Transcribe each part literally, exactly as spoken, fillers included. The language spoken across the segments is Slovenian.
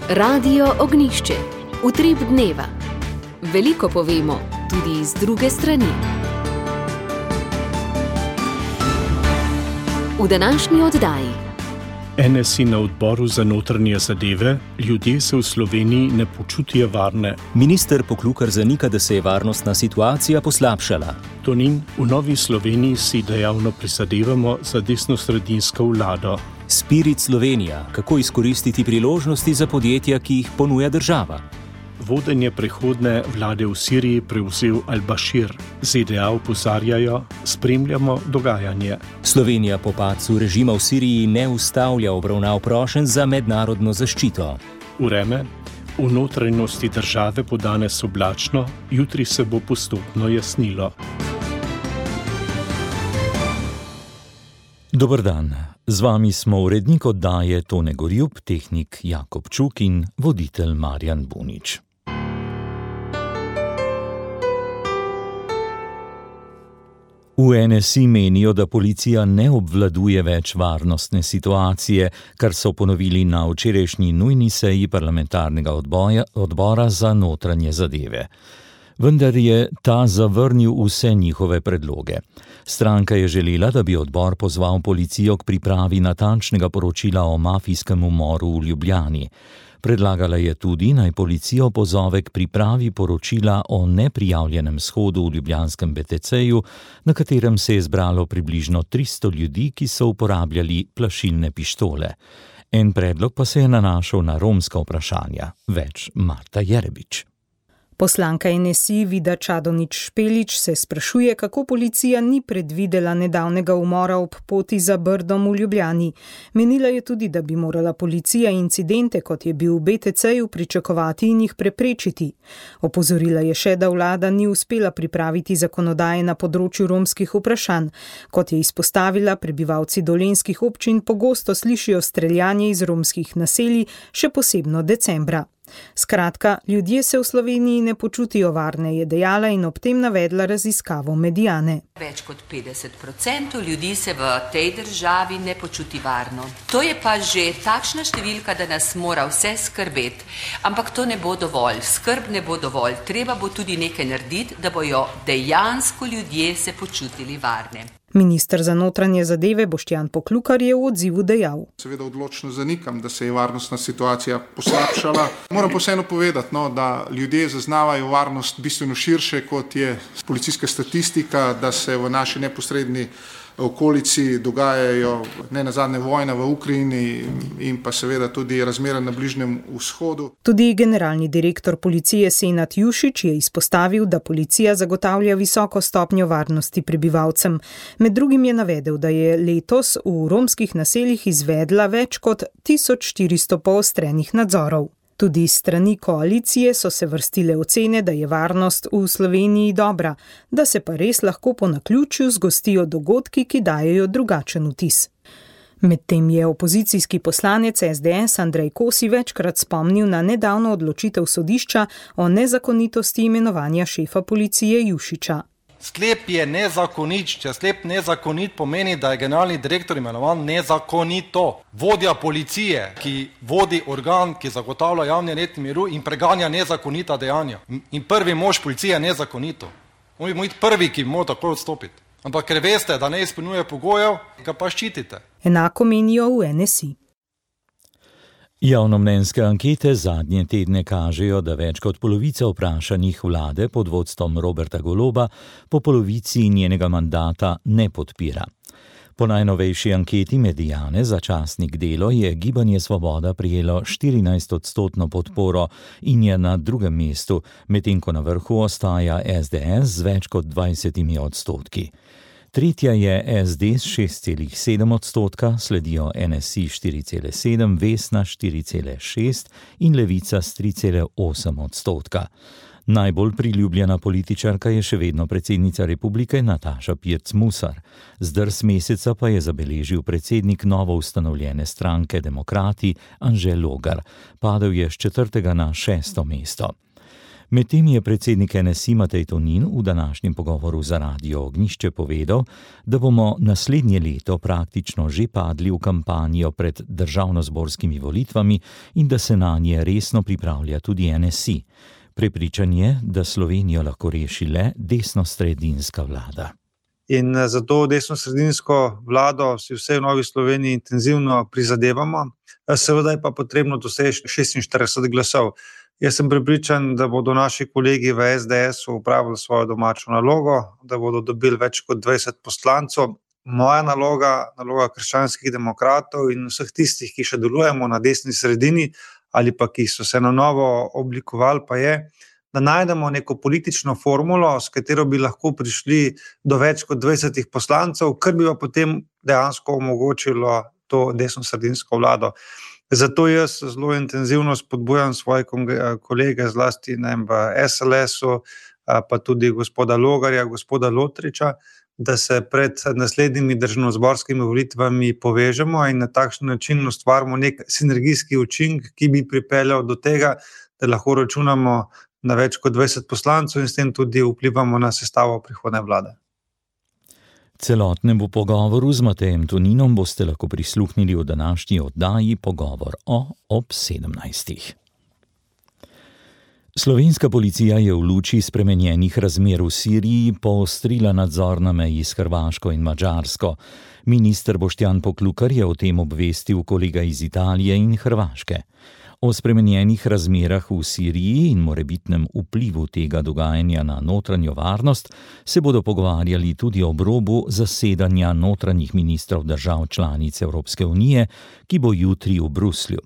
Radio Ognišče, utrip dneva. Veliko povemo, tudi iz druge strani. V današnji oddaji. N S I na odboru za notranje zadeve, ljudje se v Sloveniji ne počutijo varne. Minister Poklukar zanika, da se je varnostna situacija poslabšala. Tonin, v Novi Sloveniji si dejavno prizadevamo za desnosredinsko vlado. Spirit Slovenija, kako izkoristiti priložnosti za podjetja, ki jih ponuja država. Vodenje prehodne vlade v Siriji prevzel Al-Bashir. Z D A opozarjajo, spremljamo dogajanje. Slovenija po padcu režima v Siriji ne ustavlja obravnav prošenj za mednarodno zaščito. Vreme. V notranjosti države bo danes oblačno, jutri se bo postopno jasnilo. Dober dan. Z vami smo urednik oddaje Tone Gorjup, tehnik Jakob Čuk in voditelj Marjan Bunič. V N S I menijo, da policija ne obvladuje več varnostne situacije, kar so ponovili na včerajšnji nujni seji parlamentarnega odboja, odbora za notranje zadeve. Vendar je ta zavrnil vse njihove predloge. Stranka je želela, da bi odbor pozval policijo k pripravi natančnega poročila o mafijskem umoru v Ljubljani. Predlagala je tudi, naj policijo pozove k pripravi poročila o neprijavljenem shodu v ljubljanskem B T C-ju, na katerem se je zbralo približno tristo ljudi, ki so uporabljali plašilne pištole. En predlog pa se je nanašal na romska vprašanja. Več Marta Jerebič. Poslanka N S I Vida Čadonič Špelič se sprašuje, kako policija ni predvidela nedavnega umora ob poti za Brdom v Ljubljani. Menila je tudi, da bi morala policija incidente, kot je bil v B T C-ju, pričakovati in jih preprečiti. Opozorila je še, da vlada ni uspela pripraviti zakonodaje na področju romskih vprašanj. Kot je izpostavila, prebivalci dolenjskih občin pogosto slišijo streljanje iz romskih naselij, še posebno decembra. Skratka, ljudje se v Sloveniji ne počutijo varne, je dejala in ob tem navedla raziskavo Mediane. Več kot petdeset odstotkov ljudi se v tej državi ne počuti varno. To je pa že takšna številka, da nas mora vse skrbeti. Ampak to ne bo dovolj, skrb ne bo dovolj. Treba bo tudi nekaj narediti, da bojo dejansko ljudje se počutili varne. Minister za notranje zadeve Boštjan Poklukar je v odzivu dejal. Seveda odločno zanikam, da se je varnostna situacija poslabšala. Moram pa vseeno povedati, no, da ljudje zaznavajo varnost bistveno širše, kot je policijska statistika, da se v naši neposredni okolici dogajajo ne nazadnje vojna v Ukrajini in pa seveda tudi razmere na Bližnjem vzhodu. Tudi generalni direktor policije Senad Jušić je izpostavil, da policija zagotavlja visoko stopnjo varnosti prebivalcem. Med drugim je navedel, da je letos v romskih naseljih izvedla več kot tisoč štiristo poostrenih nadzorov. Tudi s strani koalicije so se vrstile ocene, da je varnost v Sloveniji dobra, da se pa res lahko po naključju zgostijo dogodki, ki dajejo drugačen vtis. Medtem je opozicijski poslanec S D S Andrej Kosi večkrat spomnil na nedavno odločitev sodišča o nezakonitosti imenovanja šefa policije Jušića. Sklep je nezakonit, če sklep nezakonit pomeni, da je generalni direktor imenovan nezakonito. Vodja policije, ki vodi organ, ki zagotavlja javni red in miru in preganja nezakonita dejanja. In prvi mož policije je nezakonito. On bi mora biti prvi, ki mora tako odstopiti. Ampak ker veste, da ne izpolnjuje pogojev, ga pa ščitite. Enako menijo v N S I. Javnomnenjske ankete zadnje tedne kažejo, da več kot polovica vprašanih vlade pod vodstvom Roberta Goloba po polovici njenega mandata ne podpira. Po najnovejši anketi Mediane za časnik Delo je Gibanje Svoboda prijelo štirinajstodstotno podporo in je na drugem mestu, medtem ko na vrhu ostaja S D S z več kot dvajsetimi odstotki. Tretja je S D s šest celih sedem odstotka, sledijo N S I štiri celih sedem, Vesna štiri celih šest in Levica s tri celih osem odstotka. Najbolj priljubljena političarka je še vedno predsednica republike Nataša Pirc Musar. Zdrs meseca pa je zabeležil predsednik novo ustanovljene stranke Demokrati Anže Logar. Padel je s četrtega na šesto mesto. Medtem je predsednik N S I Matej Tonin v današnjem pogovoru za Radio Ognjišče povedal, da bomo naslednje leto praktično že padli v kampanjo pred državnozborskimi volitvami in da se na nje resno pripravlja tudi N S I. Prepričan je, da Slovenijo lahko reši le desnosredinska vlada. In zato desnosredinsko vlado si vse v Novi Sloveniji intenzivno prizadevamo. Seveda je pa potrebno doseči šestinštirideset glasov. Jaz sem prepričan, da bodo naši kolegi v S D S-u upravili svojo domačo nalogo, da bodo dobili več kot dvajset poslancev. Moja naloga, naloga krščanskih demokratov in vseh tistih, ki še delujemo na desni sredini ali pa ki so se na novo oblikovali, pa je, da najdemo neko politično formulo, s katero bi lahko prišli do več kot dvajsetih poslancev, kar bi pa potem dejansko omogočilo to desnosredinsko vlado. Zato jaz zelo intenzivno spodbujam svoje kolege, zlasti ne, v S L S-u, pa tudi gospoda Logarja, gospoda Lotriča, da se pred naslednjimi državnozborskimi volitvami povežemo in na takšen način ustvarimo nek sinergijski učinek, ki bi pripeljal do tega, da lahko računamo na več kot dvajset poslancev in s tem tudi vplivamo na sestavo prihodnje vlade. Celotnemu pogovoru z Matejem Toninom boste lahko prisluhnili v današnji oddaji Pogovor o ob sedemnajstih. Slovenska policija je v luči spremenjenih razmer v Siriji poostrila nadzor na meji s Hrvaško in Madžarsko. Minister Boštjan Poklukar je o tem obvestil kolega iz Italije in Hrvaške. O spremenjenih razmerah v Siriji in morebitnem vplivu tega dogajanja na notranjo varnost se bodo pogovarjali tudi ob robu zasedanja notranjih ministrov držav članic Evropske unije, ki bo jutri v Bruslju.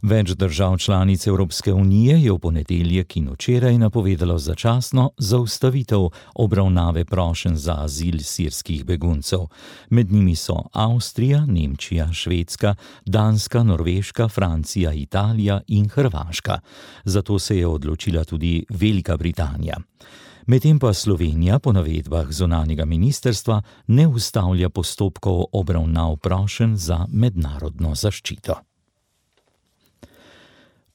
Več držav članic Evropske unije je v ponedeljek in včeraj napovedalo začasno zaustavitev obravnave prošenj za azil sirskih beguncev. Med njimi so Avstrija, Nemčija, Švedska, Danska, Norveška, Francija, Italija in Hrvaška. Zato se je odločila tudi Velika Britanija. Medtem pa Slovenija po navedbah zunanjega ministrstva ne ustavlja postopkov obravnav prošenj za mednarodno zaščito.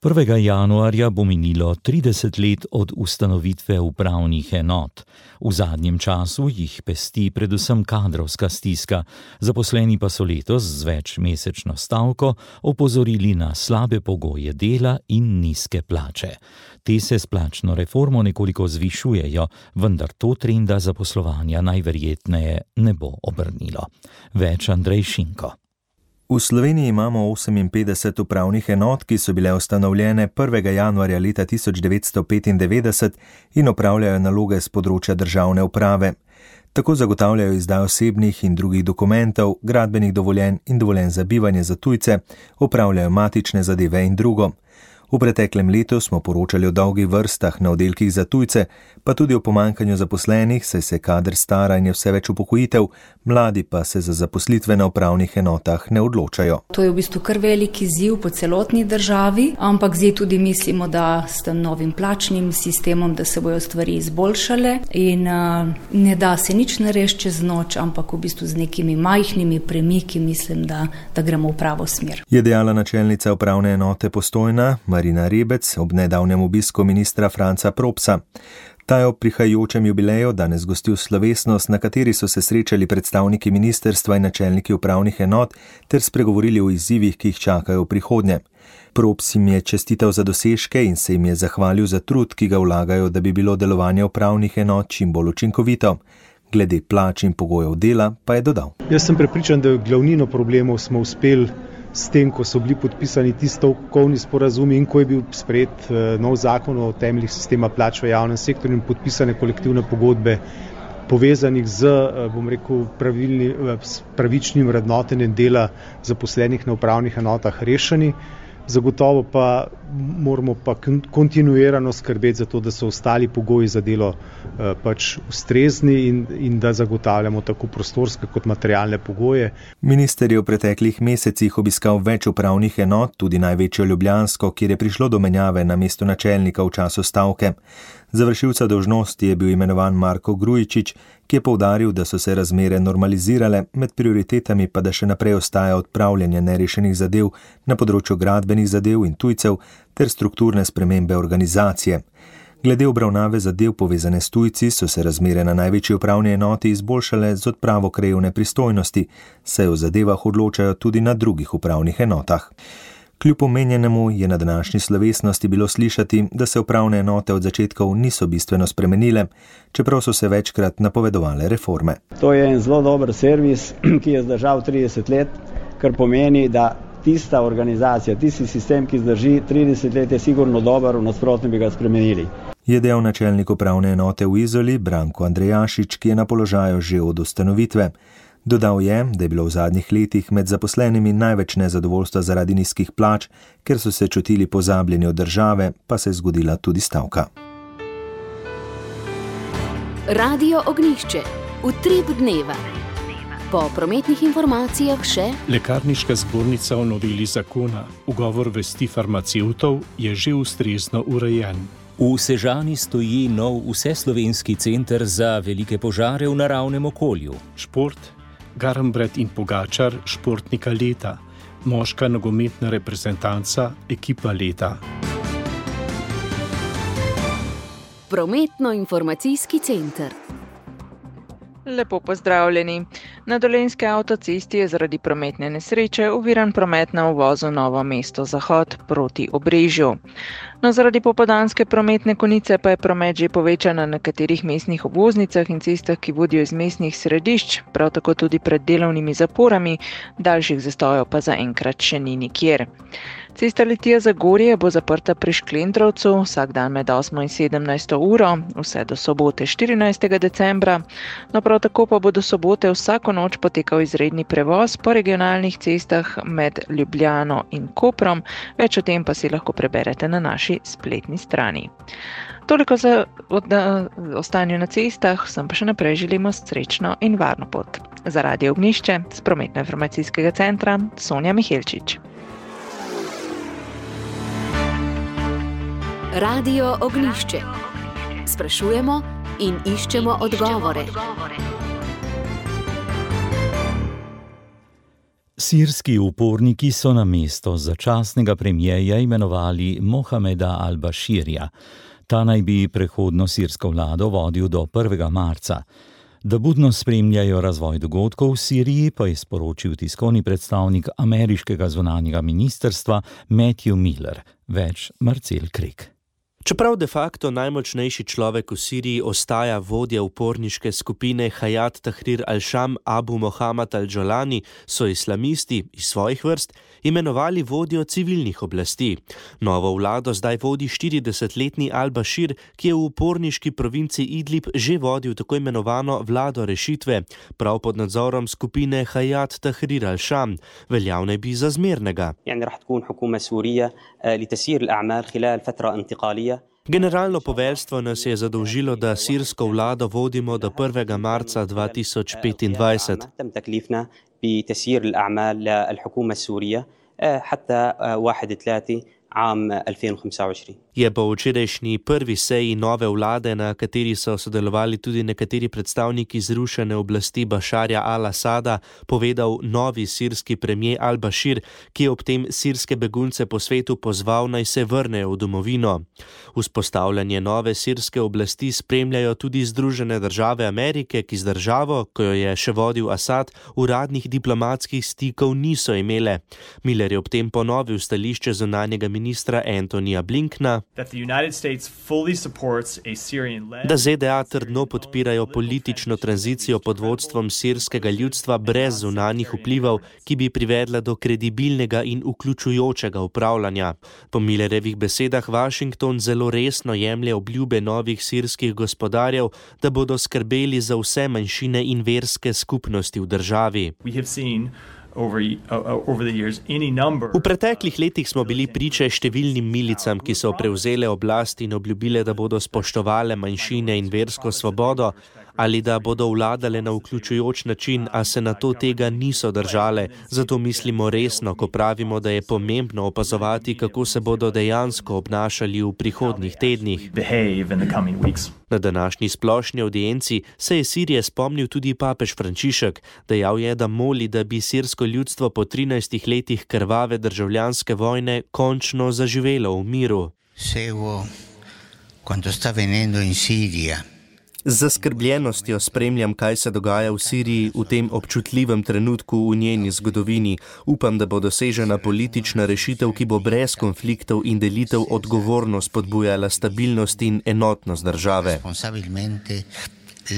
prvega januarja bo minilo trideset let od ustanovitve upravnih enot. V zadnjem času jih pesti predvsem kadrovska stiska, zaposleni pa so letos z večmesečno stavko opozorili na slabe pogoje dela in nizke plače. Te se s plačno reformo nekoliko zvišujejo, vendar to trenda zaposlovanja najverjetneje ne bo obrnilo. Več Andrej Šinko. V Sloveniji imamo oseminpetdeset upravnih enot, ki so bile ustanovljene prvega januarja leta tisoč devetsto petindevetdeset in opravljajo naloge z področja državne uprave. Tako zagotavljajo izdajo osebnih in drugih dokumentov, gradbenih dovoljenj in dovoljenj za bivanje za tujce, opravljajo matične zadeve in drugo. V preteklem letu smo poročali o dolgih vrstah na oddelkih za tujce, pa tudi o pomanjkanju zaposlenih, saj se kader stara in je vse več upokojitev, mladi pa se za zaposlitve na upravnih enotah ne odločajo. To je v bistvu kar veliki izziv po celotni državi, ampak zdaj tudi mislimo, da s tem novim plačnim sistemom, da se bojo stvari izboljšale in uh, ne da se nič narediti čez noč, ampak v bistvu z nekimi majhnimi premiki mislim, da, da gremo v pravo smer. Je dejala načelnica upravne enote Postojna, Marina Rebec, ob nedavnem obisku ministra Franca Propsa. Ta je ob prihajajočem jubileju danes gostil slovesnost, na kateri so se srečali predstavniki ministrstva in načelniki upravnih enot ter spregovorili o izzivih, ki jih čakajo v prihodnje. Props jim je čestital za dosežke in se jim je zahvalil za trud, ki ga vlagajo, da bi bilo delovanje upravnih enot čim bolj učinkovito. Glede plač in pogojev dela pa je dodal. Jaz sem prepričan, da glavnino problemov smo uspeli s tem, ko so bili podpisani ti stavkovni sporazumi in ko je bil sprejet nov zakon o temeljih sistema plač v javnem sektorju in podpisane kolektivne pogodbe povezanih z, bom rekel, pravilni, pravičnim vrednotenjem dela zaposlenih na upravnih enotah rešeni. Zagotovo pa moramo pa kontinuirano skrbeti za to, da so ostali pogoji za delo eh, pač ustrezni in, in da zagotavljamo tako prostorske kot materialne pogoje. Minister je v preteklih mesecih obiskal več upravnih enot, tudi največjo ljubljansko, kjer je prišlo do menjave na mesto načelnika v času stavke. Za vršilca dolžnosti je bil imenovan Marko Grujičič, ki je poudaril, da so se razmere normalizirale, med prioritetami pa da še naprej ostaja odpravljanje nerešenih zadev na področju gradbenih zadev in tujcev ter strukturne spremembe organizacije. Glede obravnave zadev povezane s tujci so se razmere na največji upravni enoti izboljšale z odpravo krajevne pristojnosti, saj o zadevah odločajo tudi na drugih upravnih enotah. Kljub omenjenemu je na današnji slovesnosti bilo slišati, da se upravne enote od začetkov niso bistveno spremenile, čeprav so se večkrat napovedovale reforme. To je en zelo dober servis, ki je zdržal trideset let, kar pomeni, da tista organizacija, tisti sistem, ki zdrži trideset let, je sigurno dober, v nasprotnem bi ga spremenili. Je dejal načelnik upravne enote v Izoli Branko Andrejašič, ki je na položaju že od ustanovitve. Dodal je, da je bilo v zadnjih letih med zaposlenimi največ nezadovoljstva zaradi nizkih plač, ker so se čutili pozabljeni od države, pa se je zgodila tudi stavka. Radio Ognjišče. Utrip dneva. Po prometnih informacijah še Lekarniška zbornica o noveli zakona. Ugovor vesti farmacevtov je že ustrezno urejen. V Sežani stoji nov vseslovenski center za velike požare v naravnem okolju. Šport, Garnbret in Pogačar, športnika leta, moška nogometna reprezentanca, ekipa leta. Prometno-informacijski center. Lepo pozdravljeni. Na dolenjski avtocesti je zaradi prometne nesreče oviran promet na uvozu Novo mesto Zahod proti Obrežju. No, zaradi popoldanske prometne konice pa je promet že povečan na nekaterih mestnih obvoznicah in cestah, ki vodijo iz mestnih središč, prav tako tudi pred delovnimi zaporami, daljših zastojev pa zaenkrat še ni nikjer. Cesta Litija-Zagorje bo zaprta pri Šklendrovcu vsak dan med osmo in sedemnajsto uro, vse do sobote štirinajstega decembra. No, prav tako pa bo do sobote vsako noč potekal izredni prevoz po regionalnih cestah med Ljubljano in Koprom. Več o tem pa si lahko preberete na naši spletni strani. Toliko za ostanje na cestah, vsem pa še naprej želimo srečno in varno pot. Za Radio Ognjišče z Prometno-informacijskega centra Sonja Mihelčič. Radio Ognjišče. Sprašujemo in iščemo odgovore. Sirski uporniki so na mesto začasnega premijeja imenovali Mohameda al-Bashirja. Ta naj bi prehodno sirsko vlado vodil do prvega marca. Da budno spremljajo razvoj dogodkov v Siriji, pa je sporočil tiskovni predstavnik ameriškega zunanjega ministrstva Matthew Miller. Več Marcel Krek. Čeprav de facto najmočnejši človek v Siriji ostaja vodja uporniške skupine Hayat Tahrir al-Sham Abu Mohammad al-Jolani, so islamisti iz svojih vrst imenovali vodjo civilnih oblasti. Novo vlado zdaj vodi štiridesetletni al-Bashir, ki je v uporniški provinci Idlib že vodil tako imenovano vlado rešitve, prav pod nadzorom skupine Hayat Tahrir al-Sham, veljavne bi za zmernega. Generalno poveljstvo nas je zadolžilo, da sirsko vlado vodimo do prvega marca dva tisoč petindvajset. Je po včerajšnji prvi seji nove vlade, na kateri so sodelovali tudi nekateri predstavniki zrušene oblasti Bašarja al-Asada, povedal novi sirski premier al-Bashir, ki je ob tem sirske begunce po svetu pozval, naj se vrnejo v domovino. Vzpostavljanje nove sirske oblasti spremljajo tudi Združene države Amerike, ki z državo, ko jo je še vodil Asad, uradnih diplomatskih stikov niso imele. Miller je ob tem ponovil stališče zunanjega ministra Antonija Blinkna, da Z D A trdno podpirajo politično tranzicijo pod vodstvom sirskega ljudstva brez zunanjih vplivov, ki bi privedla do kredibilnega in vključujočega upravljanja. Po Millerjevih besedah Washington zelo resno jemlje obljube novih sirskih gospodarjev, da bodo skrbeli za vse manjšine in verske skupnosti v državi. V preteklih letih smo bili priče številnim milicam, ki so prevzele oblast in obljubile, da bodo spoštovale manjšine in versko svobodo, ali da bodo vladale na vključujoč način, a se na to tega niso držale. Zato mislimo resno, ko pravimo, da je pomembno opazovati, kako se bodo dejansko obnašali v prihodnjih tednih. Na današnji splošni audienci se je Sirije spomnil tudi papež Frančišek. Dejal je, da moli, da bi sirsko ljudstvo po trinajstih letih krvave državljanske vojne končno zaživelo v miru. quanto sta avvenendo in Siria. Z zaskrbljenostjo spremljam, kaj se dogaja v Siriji v tem občutljivem trenutku v njeni zgodovini. Upam, da bo dosežena politična rešitev, ki bo brez konfliktov in delitev odgovorno spodbujala stabilnost in enotnost države.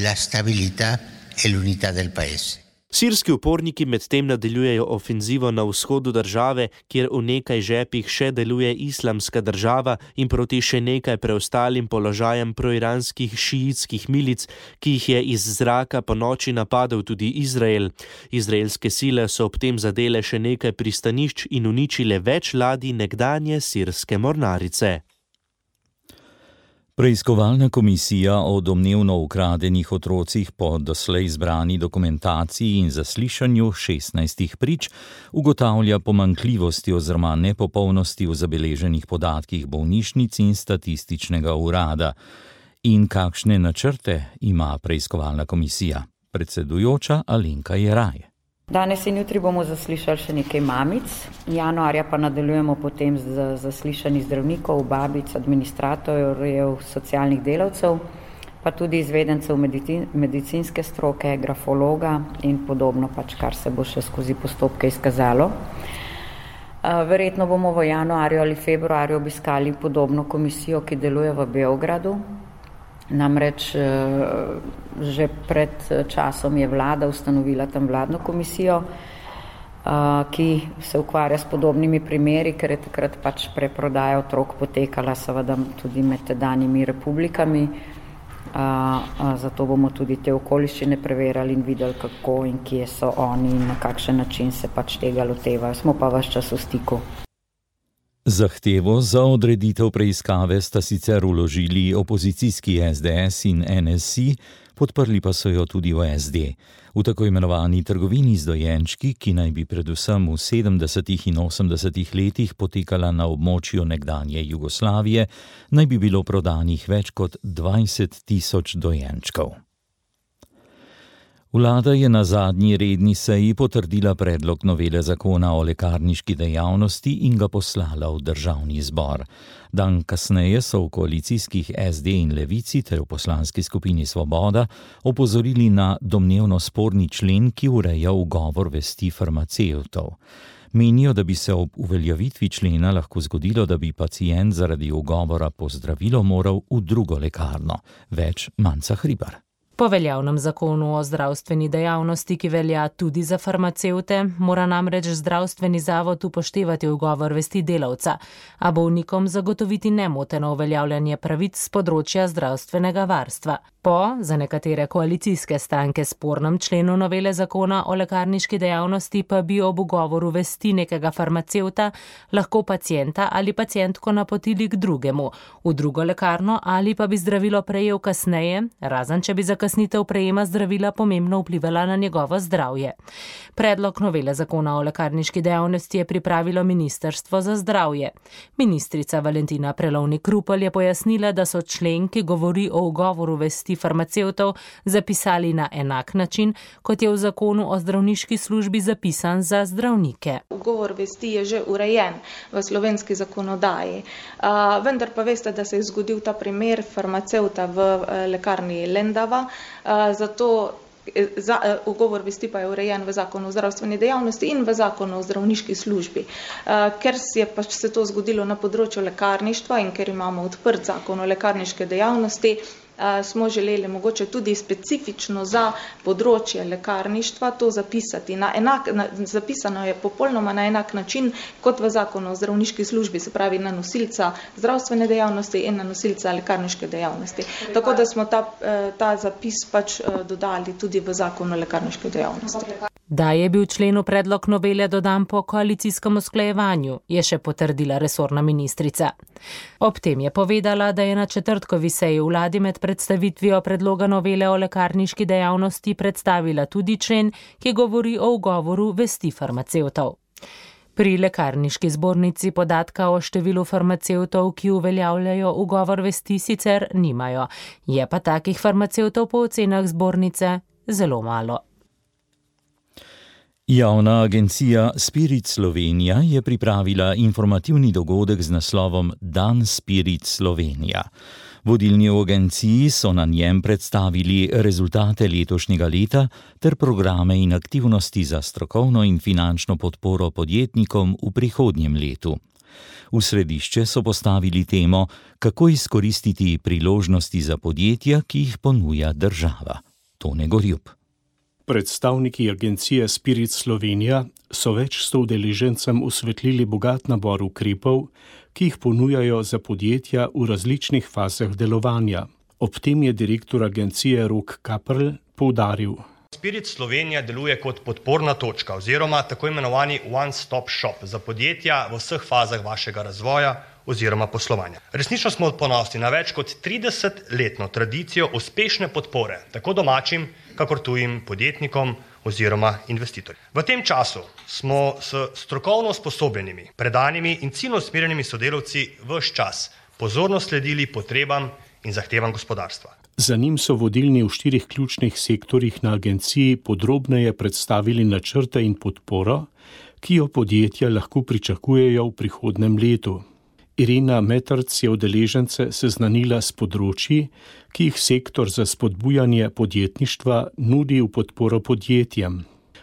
La stabilità e l'unità del paese. Sirski uporniki medtem nadaljujejo ofenzivo na vzhodu države, kjer v nekaj žepih še deluje islamska država in proti še nekaj preostalim položajem proiranskih šiitskih milic, ki jih je iz zraka po noči napadel tudi Izrael. Izraelske sile so ob tem zadele še nekaj pristanišč in uničile več ladij nekdanje sirske mornarice. Preiskovalna komisija o domnevno ukradenih otrocih po doslej zbrani dokumentaciji in zaslišanju šestnajstih prič ugotavlja pomanjkljivosti oziroma nepopolnosti v zabeleženih podatkih bolnišnic in statističnega urada. In kakšne načrte ima preiskovalna komisija? Predsedujoča Alenka Jeraj. Danes in jutri bomo zaslišali še nekaj mamic, januarja pa nadaljujemo potem z zaslišanji zdravnikov, babic, administratorjev, socialnih delavcev, pa tudi izvedencev medicinske stroke, grafologa in podobno, pač kar se bo še skozi postopke izkazalo. Verjetno bomo v januarju ali februarju obiskali podobno komisijo, ki deluje v Beogradu. Namreč že pred časom je vlada ustanovila tam vladno komisijo, ki se ukvarja s podobnimi primeri, ker je takrat pač preprodaja otrok potekala seveda tudi med tedanjimi republikami. Zato bomo tudi te okoliščine preverjali in videli, kako in kje so oni in na kakšen način se pač tega lotevajo. Smo pa ves čas v stiku. Zahtevo za odreditev preiskave sta sicer vložili opozicijski S D S in N S I, podprli pa so jo tudi v S D. V tako imenovani trgovini z dojenčki, ki naj bi predvsem v sedemdesetih in osemdesetih letih potekala na območju nekdanje Jugoslavije, naj bi bilo prodanih več kot dvajset tisoč dojenčkov. Vlada je na zadnji redni seji potrdila predlog novele zakona o lekarniški dejavnosti in ga poslala v državni zbor. Dan kasneje so v koalicijskih S D in Levici ter v poslanski skupini Svoboda opozorili na domnevno sporni člen, ki ureja ugovor vesti farmacevtov. Menijo, da bi se ob uveljavitvi člena lahko zgodilo, da bi pacient zaradi ugovora po zdravilo moral v drugo lekarno. Več Manca Hribar. Po veljavnem zakonu o zdravstveni dejavnosti, ki velja tudi za farmacevte, mora namreč zdravstveni zavod upoštevati ugovor vesti delavca, a bolnikom zagotoviti nemoteno uveljavljanje pravic z področja zdravstvenega varstva. Po, za nekatere koalicijske stranke spornem členu novele zakona o lekarniški dejavnosti pa bi ob ugovoru vesti nekega farmacevta lahko pacienta ali pacientko napotili k drugemu, v drugo lekarno ali pa bi zdravilo prejel kasneje, razen če bi zakasnitev prejema zdravila pomembno vplivala na njegovo zdravje. Predlog novele zakona o lekarniški dejavnosti je pripravilo Ministrstvo za zdravje. Ministrica Valentina Prelovnik-Rupel je pojasnila, da so člen, ki govori o ugovoru vesti farmacevtov, zapisali na enak način, kot je v zakonu o zdravniški službi zapisan za zdravnike. Ugovor vesti je že urejen v slovenski zakonodaji, vendar pa veste, da se je zgodil ta primer farmacevta v lekarni Lendava, zato Za, uh, ugovor vesti pa je urejen v zakonu o zdravstveni dejavnosti in v zakonu o zdravniški službi. Uh, ker je pač se to zgodilo na področju lekarništva in ker imamo odprt zakon o lekarniške dejavnosti, uh, smo želeli mogoče tudi specifično za področje lekarništva to zapisati. Na enak, na, zapisano je popolnoma na enak način kot v zakonu o zdravniški službi, se pravi na nosilca zdravstvene dejavnosti in na nosilca lekarniške dejavnosti. Tako da smo ta, ta zapis pač dodali tudi v zakonu o lekarniški dejavnosti. Da je bil členu predlog novele dodan po koalicijskem usklajevanju, je še potrdila resorna ministrica. Ob tem je povedala, da je na četrtkovi seji vladi med predstavitvijo predloga novele o lekarniški dejavnosti predstavila tudi člen, ki govori o ugovoru vesti farmacevtov. Pri lekarniški zbornici podatka o številu farmacevtov, ki uveljavljajo ugovor vesti, sicer nimajo. Je pa takih farmacevtov po ocenah zbornice zelo malo. Javna agencija Spirit Slovenija je pripravila informativni dogodek z naslovom Dan Spirit Slovenija. Vodilni v agenciji so na njem predstavili rezultate letošnjega leta ter programe in aktivnosti za strokovno in finančno podporo podjetnikom v prihodnjem letu. V središče so postavili temo, kako izkoristiti priložnosti za podjetja, ki jih ponuja država. Tone Gorjup. Predstavniki agencije Spirit Slovenija so več sto udeležencem osvetlili bogat nabor ukrepov, ki jih ponujajo za podjetja v različnih fazah delovanja. Ob tem je direktor agencije Rok Kaprl poudaril. Spirit Slovenija deluje kot podporna točka oziroma tako imenovani one-stop shop za podjetja v vseh fazah vašega razvoja oziroma poslovanja. Resnično smo ponosni na več kot tridesetletno tradicijo uspešne podpore tako domačim, kakor tujim podjetnikom oziroma investitorjem. V tem času smo s strokovno usposobljenimi, predanimi in ciljno usmerjenimi sodelavci ves čas pozorno sledili potrebam in zahtevam gospodarstva. Za njim so vodilni v štirih ključnih sektorjih na agenciji podrobneje predstavili načrte in podporo, ki jo podjetja lahko pričakujejo v prihodnem letu. Irena Metrc je udeležence seznanila s področji, ki jih sektor za spodbujanje podjetništva nudi v podporo podjetjem.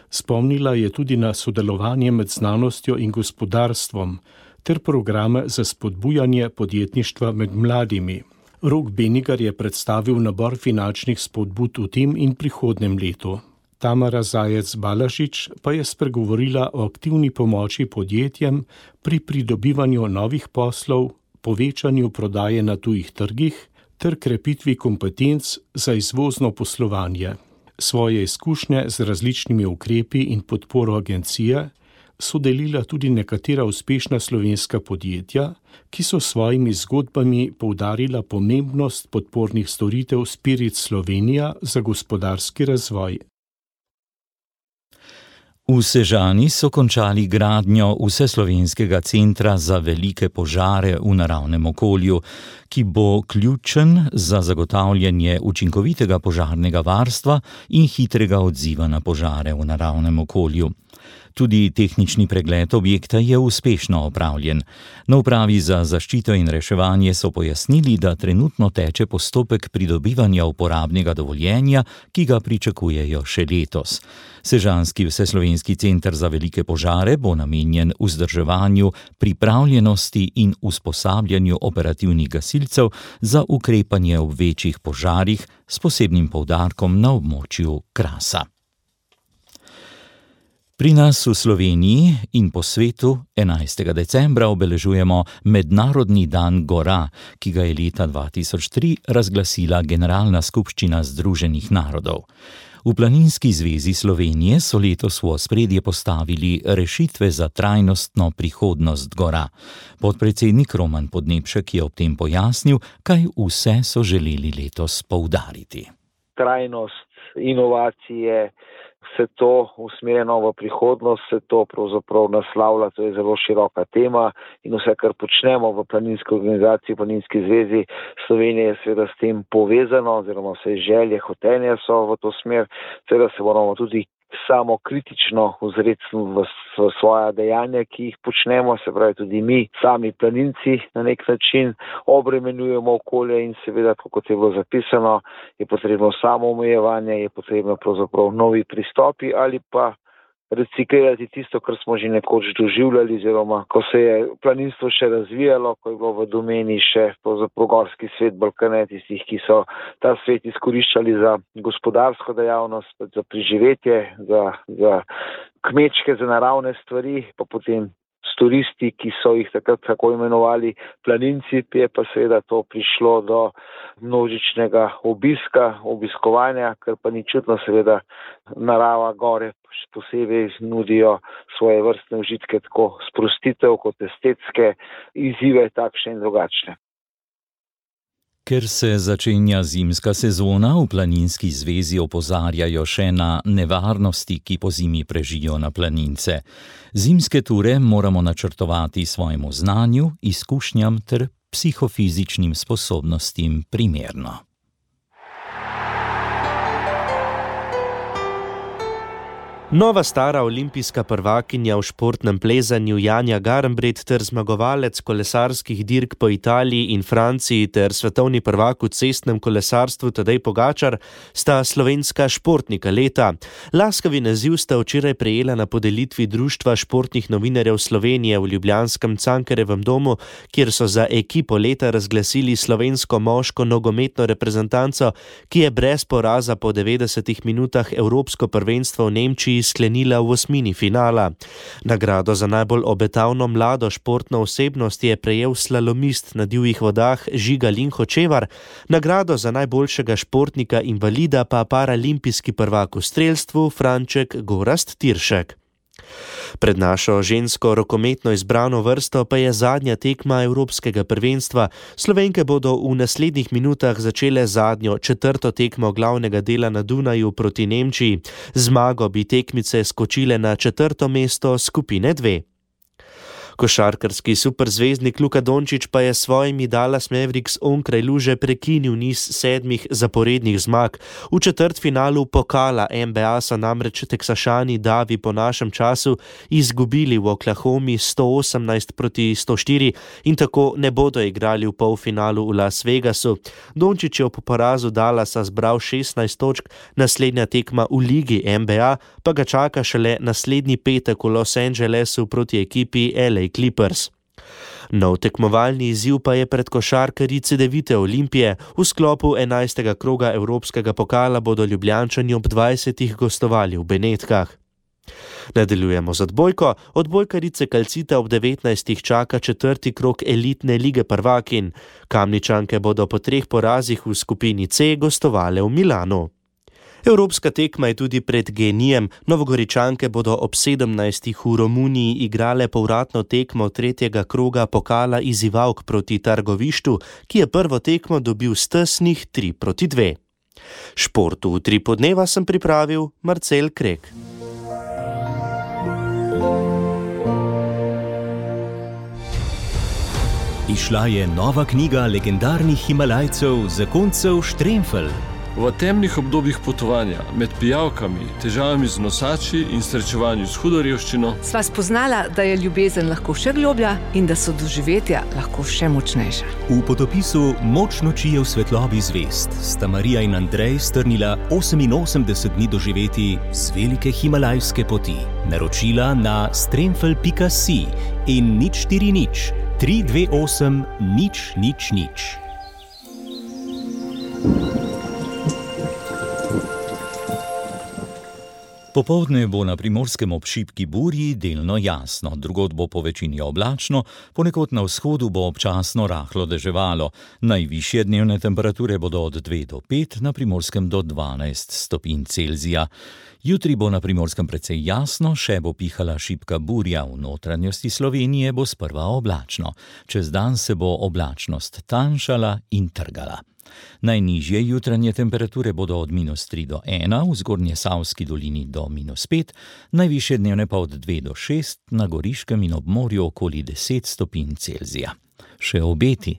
Spomnila je tudi na sodelovanje med znanostjo in gospodarstvom ter programe za spodbujanje podjetništva med mladimi. Rok Benigar je predstavil nabor finančnih spodbud v tem in prihodnem letu. Tamara Zajec-Balažič pa je spregovorila o aktivni pomoči podjetjem pri pridobivanju novih poslov, povečanju prodaje na tujih trgih ter krepitvi kompetenc za izvozno poslovanje. Svoje izkušnje z različnimi ukrepi in podporo agencije so delila tudi nekatera uspešna slovenska podjetja, ki so svojimi zgodbami poudarila pomembnost podpornih storitev Spirit Slovenija za gospodarski razvoj. V Sežani so končali gradnjo Vseslovenskega centra za velike požare v naravnem okolju, ki bo ključen za zagotavljanje učinkovitega požarnega varstva in hitrega odziva na požare v naravnem okolju. Tudi tehnični pregled objekta je uspešno opravljen. Na upravi za zaščito in reševanje so pojasnili, da trenutno teče postopek pridobivanja uporabnega dovoljenja, ki ga pričakujejo še letos. Sežanski Vseslovenski center za velike požare bo namenjen vzdrževanju, pripravljenosti in usposabljanju operativnih gasilcev za ukrepanje ob večjih požarih s posebnim poudarkom na območju Krasa. Pri nas v Sloveniji in po svetu enajstega decembra obeležujemo Mednarodni dan gora, ki ga je leta dva tisoč tri razglasila Generalna skupščina Združenih narodov. V Planinski zvezi Slovenije so letos v ospredje postavili rešitve za trajnostno prihodnost gora. Podpredsednik Roman Podnebšek je ob tem pojasnil, kaj vse so želeli letos poudariti. Trajnost, inovacije, vse to usmerjeno v prihodnost, vse to pravzaprav naslavlja, to je zelo široka tema in vse, kar počnemo v Planinski organizaciji, Planinski zvezi Slovenije je seveda s tem povezano, oziroma vse želje, hotenje so v to smer, seveda se moramo tudi samo kritično ozreti v, v svoja dejanja, ki jih počnemo, se pravi tudi mi, sami planinci na nek način obremenjujemo okolje in seveda, kot je bilo zapisano, je potrebno samo omejevanje, je potrebno pravzaprav novi pristopi ali pa reciklirati tisto, kar smo že nekoč doživljali, oziroma ko se je planinstvo še razvijalo, ko je bilo v domeni še pravzaprav gorski svet Balkane, tistih, ki so ta svet izkoriščali za gospodarsko dejavnost, za preživetje, za, za kmečke, za naravne stvari, pa potem s turisti, ki so jih takrat tako imenovali planinci, je pa seveda to prišlo do množičnega obiska, obiskovanja, kar pa ni čudno, seveda narava gore še posebej nudijo svoje vrstne užitke, tako sprostitev kot estetske izzive, takšne in drugačne. Ker se začenja zimska sezona, v Planinski zvezi opozarjajo še na nevarnosti, ki pozimi prežijo na planince. Zimske ture moramo načrtovati svojemu znanju, izkušnjam ter psihofizičnim sposobnostim primerno. Nova stara olimpijska prvakinja v športnem plezanju Janja Garnbret ter zmagovalec kolesarskih dirk po Italiji in Franciji ter svetovni prvak v cestnem kolesarstvu Tadej Pogačar sta slovenska športnika leta. Laskavi naziv sta včeraj prejela na podelitvi Društva športnih novinarjev Slovenije v ljubljanskem Cankarjevem domu, kjer so za ekipo leta razglasili slovensko moško nogometno reprezentanco, ki je brez poraza po devetdesetih minutah evropsko prvenstvo v Nemčiji sklenila v osmini finala. Nagrado za najbolj obetavno mlado športno osebnost je prejel slalomist na divjih vodah Žiga Linhočevar, nagrado za najboljšega športnika invalida pa paralimpijski prvak v strelstvu Franček Gorazd Tiršek. Pred našo žensko rokometno izbrano vrsto pa je zadnja tekma evropskega prvenstva. Slovenke bodo v naslednjih minutah začele zadnjo četrto tekmo glavnega dela na Dunaju proti Nemčiji. Zmago bi tekmice skočile na četrto mesto skupine dve. Košarkarski superzvezdnik Luka Dončić pa je s svojimi Dallas Mavericks onkraj luže prekinil niz sedmih zaporednih zmag. V četrtfinalu pokala N B A so namreč Teksašani davi po našem času izgubili v Oklahomi sto osemnajst proti sto štiri in tako ne bodo igrali v polfinalu v Las Vegasu. Dončić je po porazu Dallasa zbral šestnajst točk, naslednja tekma v ligi N B A pa ga čaka šele naslednji petek v Los Angelesu proti ekipi L A Clippers. Nov tekmovalni izziv pa je pred košarkarji Cedevite Olimpije. V sklopu enajstega kroga Evropskega pokala bodo Ljubljančani ob dvajsetih gostovali v Benetkah. Nadaljujemo z odbojko. Odbojkarice Calcita ob devetnajstih čaka četrti krog elitne lige prvakinj. Kamničanke bodo po treh porazih v skupini C gostovale v Milanu. Evropska tekma je tudi pred Genijem. Novogoričanke bodo ob sedemnajstih v Romuniji igrale povratno tekmo tretjega kroga pokala izzivalk proti Targovištu, ki je prvo tekmo dobil s tesnih tri proti dve. Športu v tri podneva sem pripravil Marcel Krek. Izšla je nova knjiga legendarnih Himalajcev, zakoncev Štremfelj. V temnih obdobjih potovanja, med pijavkami, težavami z nosači in srečevanju s hudo revščino, sva spoznala, da je ljubezen lahko še globlja in da so doživetja lahko še močnejša. V potopisu Moč noči je v svetlobi zvezd sta Marija in Andrej strnila oseminosemdeset dni doživeti z velike himalajske poti. Naročila na stremfelj pika si in nič štiri nič, tri dve osem, nič nič nič. Popoldne bo na Primorskem ob šibki burji delno jasno, drugod bo po večini oblačno, ponekod na vzhodu bo občasno rahlo deževalo. Najvišje dnevne temperature bodo od dve do pet, na Primorskem do dvanajst stopinj Celzija. Jutri bo na Primorskem precej jasno, še bo pihala šibka burja, v notranjosti Slovenije bo sprva oblačno. Čez dan se bo oblačnost tanjšala in trgala. Najnižje jutranje temperature bodo od minus tri do ena, v Zgornjesavski dolini do minus pet, najvišje dnevne pa od dve do šest, na Goriškem in ob morju okoli deset stopinj Celzija. Še obeti.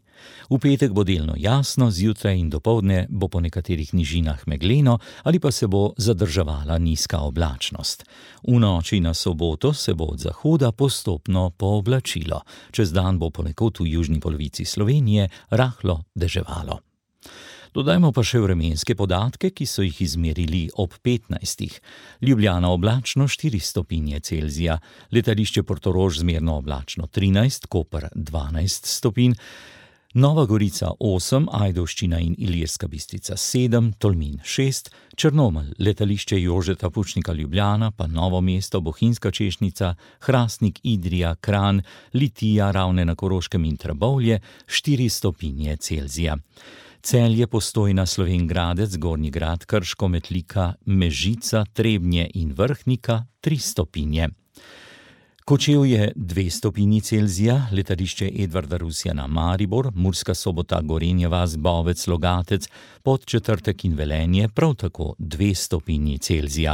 V petek bo delno jasno, zjutraj in dopoldne bo po nekaterih nižinah megleno ali pa se bo zadrževala nizka oblačnost. V noči na soboto se bo od zahoda postopno pooblačilo. Čez dan bo ponekod v južni polovici Slovenije rahlo deževalo. Dodajmo pa še vremenske podatke, ki so jih izmerili ob petnajstih. Ljubljana oblačno štiri stopinje Celzija, letališče Portorož zmerno oblačno trinajst, Koper dvanajst stopinj, Nova Gorica osem, Ajdovščina in Ilirska Bistrica sedem, Tolmin šest, Črnomelj, letališče Jožeta Pučnika Ljubljana, pa Novo mesto, Bohinjska Češnica, Hrastnik, Idrija, Kranj, Litija, Ravne na Koroškem in Trbovlje štiri stopinje Celzija. Celje, Postojna, Slovenj Gradec, Gornji Grad, Krško, Metlika, Mežica, Trebnje in Vrhnika tri stopinje. Kočevje dve stopinji Celzija, letališče Edvarda Rusjana Maribor, Murska Sobota, Gorenja vas, Bovec, Logatec, Podčetrtek in Velenje prav tako dve stopinji Celzija.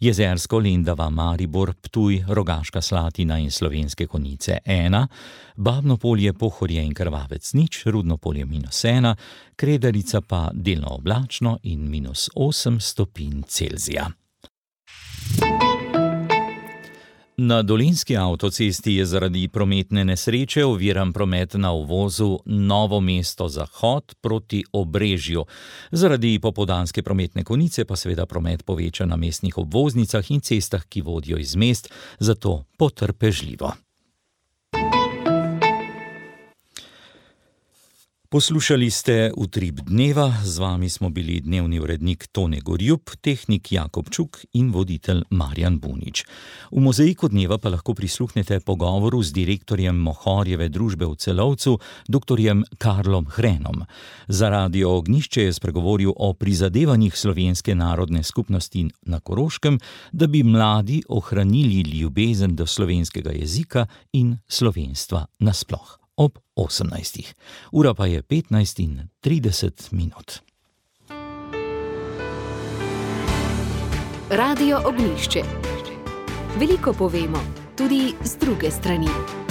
Jezersko, Lendava, Maribor, Ptuj, Rogaška Slatina in Slovenske Konjice ena, Babno Polje, Pohorje in Krvavec nič, Rudno Polje minus ena, Kredarica pa delno oblačno in minus osem stopinj Celzija. Na Dolenjski avtocesti je zaradi prometne nesreče oviran promet na uvozu Novo mesto Zahod proti Obrežju. Zaradi popoldanske prometne konice pa seveda promet poveča na mestnih obvoznicah in cestah, ki vodijo iz mest, zato potrpežljivo. Poslušali ste Utrip dneva, z vami smo bili dnevni urednik Tone Gorjup, tehnik Jakob Čuk in voditelj Marjan Bunič. V mozaiku dneva pa lahko prisluhnete pogovoru z direktorjem Mohorjeve družbe v Celovcu, doktorjem Karlom Hrenom. Za Radio Ognjišče je spregovoril o prizadevanjih slovenske narodne skupnosti na Koroškem, da bi mladi ohranili ljubezen do slovenskega jezika in slovenstva nasploh. Ob osemnajstih. Ura pa je petnajst in trideset minut. Radio Ognjišče. Veliko povemo, tudi z druge strani.